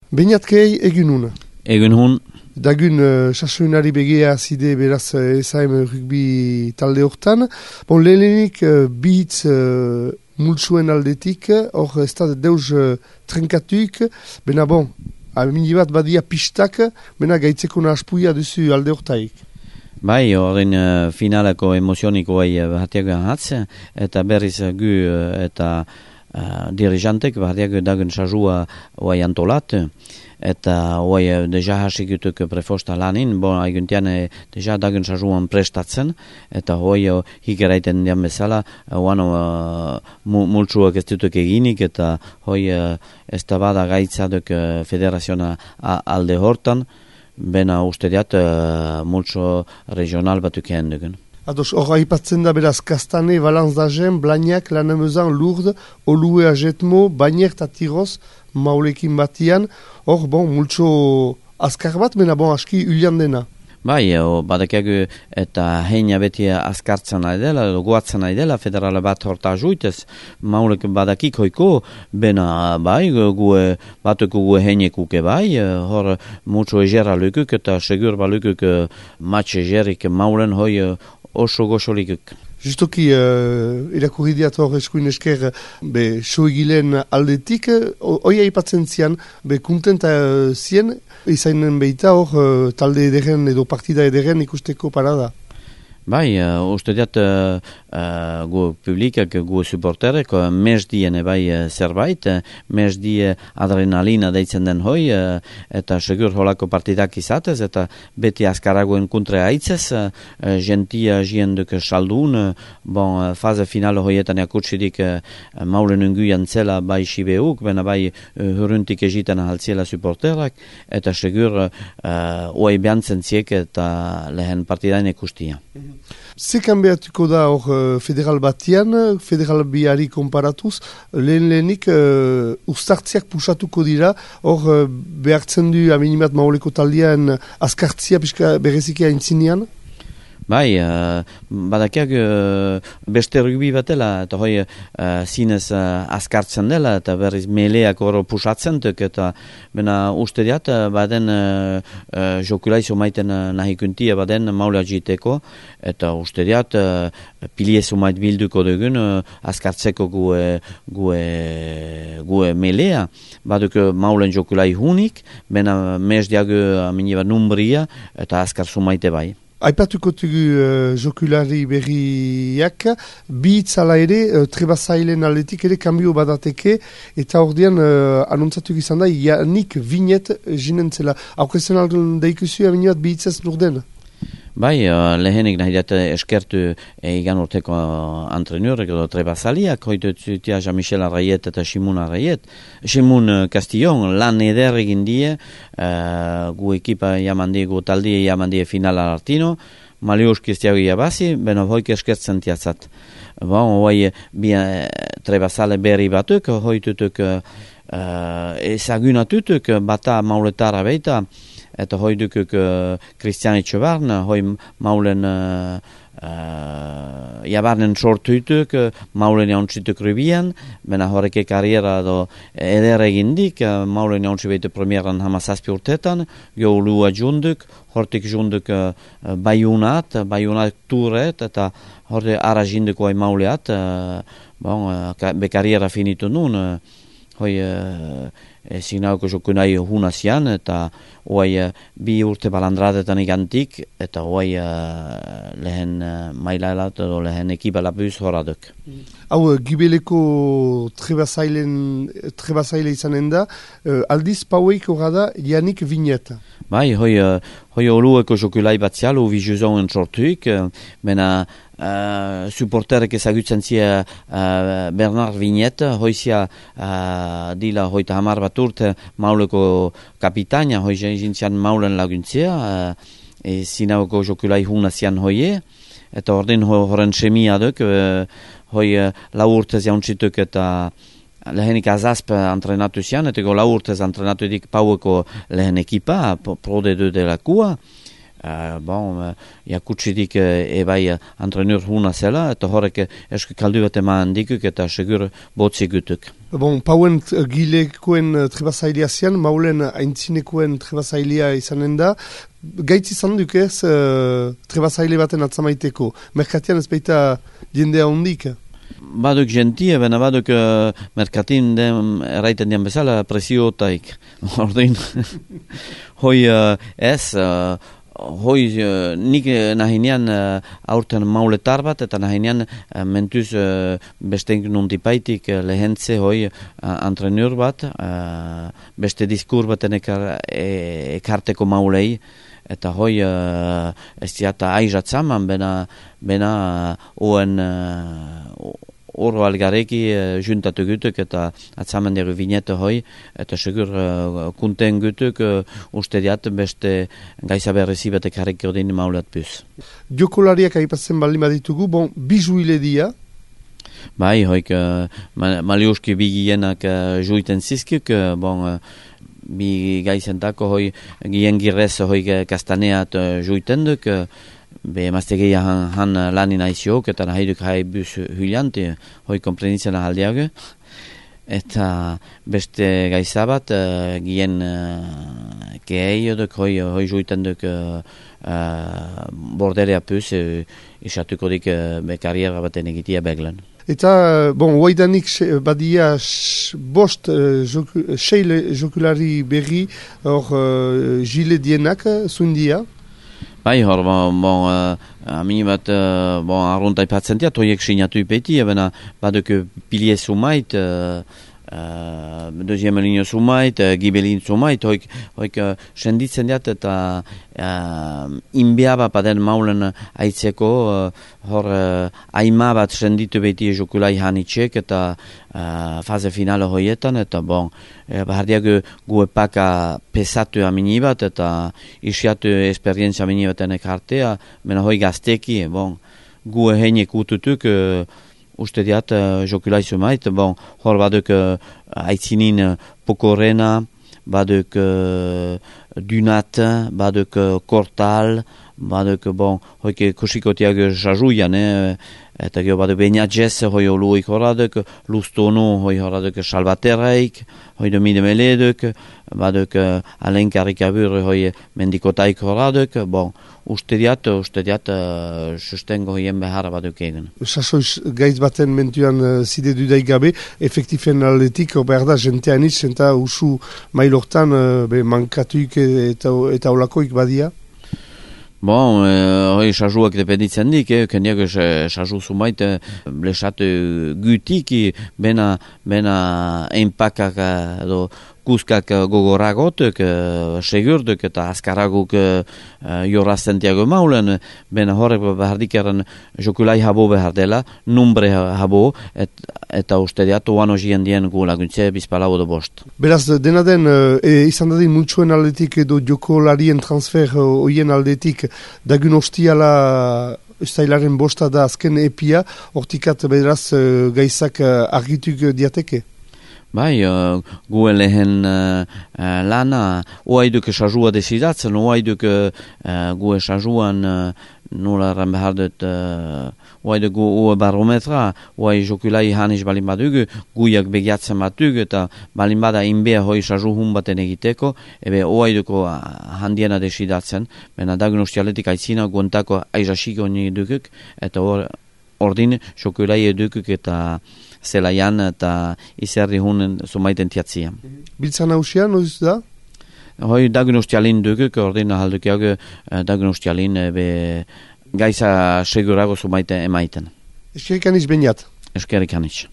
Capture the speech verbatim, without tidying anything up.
Beinatkei egin hun. Egun hun. Dagun uh, sasoinari begia zide beraz S A M rugby talde hortan. Bon, lehenik uh, bitz uh, multsuen aldetik, hor ez da deus uh, trenkatuik, bena bon, amini bat badia pistak, bena gaitzeko naspuia duzu alde hortaik. Bai, horren uh, finaleko emozioniko bai bahatiago hatz, eta berriz gu uh, eta uh, dirijantek bahatiago dagun sajua bai antolat, eta bai deja hasikutuk prefosta lanin, bon, aiguntian deja dagun sajuan prestatzen, eta bai hikeraiten dian bezala, oano uh, multsuak ez dutuk eginik, eta bai uh, ez da bada gaitzaduk uh, federaziona alde hortan, bena uste diat uh, multso regional batuk ehen dugun. Ados, hor haipatzen da beraz Kastane, Valence d'Agen, Blagnac, Lannemezan, Lourdes, Olue, Ajetmo, Bagner eta Tiroz, maulekin batian, hor, bon, multso azkar bat, mena bon, aski ulian dena. Bai, badakiagu eta heina beti askartzen nahi dela, goatzen nahi dela, federala bat horta ajuitez, maulek badakik hoiko, bena bai, gue, batuko gue heinekuke bai, hor multso egera lukuk eta segur balukuk matx egerik maulen hoi oso goxolikuk. Justoki, uh, irakurri diat hor eskuin esker, be, soegilen aldetik, hoi aipatzen zian, be, kuntenta uh, zien, izainen behita hor, uh, talde ederen edo partida ederen ikusteko parada. Bai, uh, uste diat uh, uh, gu publikak, gu supporterek, uh, mes dien bai uh, zerbait, uh, mes die adrenalina deitzen den hoi, uh, eta segur holako partidak izatez, eta beti askaragoen kontre aitzez, uh, uh, gentia jienduk saldun, uh, bon, uh, faze finale hoietan jakutsidik uh, maulen unguian zela bai sibeuk, bena bai uh, huruntik egiten ahaltziela supporterak, eta segur uh, oai behantzen ziek eta lehen partidain ikustia. Zekan behatuko da hor federal batian, federal biari konparatuz, lehen lehenik uh, ustartziak pusatuko dira, hor uh, behartzen du aminimat mauleko taldean askartzia pixka berezikia intzinean? Bai, uh, badakiak uh, beste rugbi batela, eta hoi uh, zinez uh, askartzen dela, eta berriz meleak hor pusatzen duk, eta bena uste diat, uh, baden uh, uh, jokulaizo maiten uh, nahikuntia baden maulea jiteko, eta uste diat, uh, piliezo mait bilduko dugun, uh, askartzeko gue, gue, gue melea, baduk uh, maulen jokulai hunik, bena mes diagu aminiba numbria, eta askarzu maite bai. Aipatuko tugu uh, jokulari berriak, bi itzala ere, uh, trebazailen aldetik ere kambio badateke, eta ordean uh, anontzatu izan da, Janik Vinet jinentzela. Aukezen aldun daikuzu, aminiat bi itzaz lurden? Bai, uh, lehenik nahi dut eskertu egan urteko antrenurek edo trebazaliak, hoitu zutia Jean-Michel Arraiet eta Simun Arraiet. Simun Castillon lan eder egin die, uh, gu ekipa jamandie, gu taldie jamandie finala artino, Maliuski ez diago jabazi, beno hoik eskertzen tiatzat. Bon, hoi bi uh, trebazale berri batuk, hoitutuk uh, ezagunatutuk bata mauletara beita, eta hoi dukuk uh, Christian Etxebarn, hoi maulen uh, uh, jabarnen sortuituk, uh, maulen jauntzituk rubian, bena horreke kariera do eder egindik, uh, maulen jauntzi behitu premieran hamazazpi urtetan, jo lua junduk, hortik junduk uh, baiunat, baiunat turet, eta horre ara jinduko hoi mauleat, uh, bon, uh, be kariera finitu nun, uh, hoi uh, signauko jokunai hunazian, eta oai uh, bi urte balandradetan igantik, eta oai uh, lehen uh, mailaelat edo lehen ekipa lapuz horaduk. Hau, uh, gibeleko trebazaile izanen da, uh, aldiz paueik horada Janik Vinet. Bai, hoi, uh, hoi olueko jokulai batzial, uvi juzon sortuik, uh, bena Uh, supporterek ezagutzen zia uh, Bernard Vinet, hoizia uh, dila hoita hamar bat urte mauleko kapitaina, hoi jintzian maulen laguntzia, uh, e zinauko jokulai hunazian hoie, eta ordin horren semia duk, uh, hoi uh, lau urtez jauntzituk eta lehenik azazp antrenatu zian, eta go lau urtez antrenatu edik paueko lehen ekipa, prode du delakua, Uh, bon, uh, jakutsidik uh, ebai uh, antrenur huna zela, eta horrek uh, eske kaldu bat eman dikuk eta segur botzi gutuk. Bon, pauen uh, gilekoen uh, trebazailea zian, maulen aintzinekoen trebazailea izanen da. Gaitz izan duk ez uh, trebazaile baten atzamaiteko. Merkatian ez baita jendea hondik? Baduk gentie, bena baduk uh, merkatin den, erraiten dian bezala, presiotaik. Ordin, hoi uh, ez, uh, hoi uh, nik nahinean uh, aurten mauletar bat, eta nahinean uh, mentuz uh, beste nuntipaitik uh, lehentze hoi uh, antrenur bat, uh, beste diskur baten ekar, e, ekarteko maulei, eta hoi uh, ez diata aizatzaman, bena, bena oen uh, oro algareki uh, juntatu gutuk eta atzaman dugu vinete hoi, eta segur uh, kunten gutuk uh, uste diat beste gaiza berrezi batek harek ordin maulat puz. Jokolariak aipatzen baldin baditugu, bon, bijuile dia? Bai, hoik uh, maliuski bigienak uh, juiten zizkik, uh, bon, uh, bi gaizentako hoi gien girrez hoi kastaneat uh, juiten duk, uh, be maztegeia han, han lanin aiziok, eta nahaiduk hai bus hylianti, hoi komprenitzen ahaldiago, eta beste gaizabat uh, gien uh, kehei duk, hoi, hoi juiten duk uh, uh, borderea puz, uh, isatuko dik uh, be karriera baten egitia beglen. Eta, bon, waidanik badia sh, bost uh, joku, seile jokulari berri hor uh, jile dienak zundia? Bai, hor, bon, bon uh, amini bat, uh, bon, arrunta ipatzen diat, hoiek sinatu ipeti, ebena baduk pilie sumait, uh, uh, deuxième ligne sumait, uh, gibelin sumait, hoik, hoik uh, senditzen diat eta uh, inbeaba paden maulen aitzeko, uh, hor uh, aima bat senditu beti jokulai hanitxek eta uh, faze finale hoietan, eta bon, e, bahardiak gu epaka pesatu amini bat, eta isiatu esperientzia amini baten ekartea, mena hoi gazteki, bon, gu heinek ututuk, uh, uste diat uh, jokulai sumait, bon, hor baduk uh, aitzinin uh, pokorena, baduk uh, dunat, baduk uh, kortal, baduk, bon, hoike kusikotiak jajuian, eh, eta gero baduk beinatzez, hoi oluik horaduk, lustonu, hoi horaduk salvateraik, hoi domide meleduk, baduk uh, alenkarik abur, hoi mendikotaik horaduk, bon, uste diat, uste diat, uh, sustengo hoien behar baduk egen. Sasoiz gaiz baten mentuan uh, zide dudaik gabe, efektifen aldetik, behar da, jentean itz, eta usu mailortan uh, be, mankatuik eta, eta olakoik badia? Bon, euh, hoi sajuak dependitzen dik, eh, kendiak saju sumait eh, blesat gutik, bena, bena enpakak edo kuskak gogoragotuk, uh, segurduk eta askaraguk uh, jorazten tiago maulen, bena horrek behardikaren jokulai habo behar dela, numbre habo, et, eta uste diatu oano jien dien gu laguntze bizpalau edo bost. Beraz, dena den, e, izan dadin multsuen aldetik edo jokolarien transfer oien aldetik, dagun ostiala ustailaren bosta da azken epia, hortikat beraz gaizak argituk diateke? Bai, uh, gu lehen uh, uh, lana, oaiduk esajua desidatzen, oaiduk uh, gu esajuan uh, nola erran behar dut, uh, oaiduk gu oa barometra, oai jokulai hanis balin badugu, guiak begiatzen batug, eta balin bada inbea hoi esaju hun baten egiteko, ebe oaiduko handiena desidatzen, bena dagun ustialetik aitzina guantako aizasiko nire dukuk, eta or, ordin jokulai edukuk eta zelaian eta izerri hunen zumaiten tiatzia. Biltzan hausia, noiz da? Hoi dagun ustialin dukuk, ordin ahaldukiak dagun ustialin be gaiza segurago zumaiten emaiten. Eskerik aniz beniat? Eskerik aniz.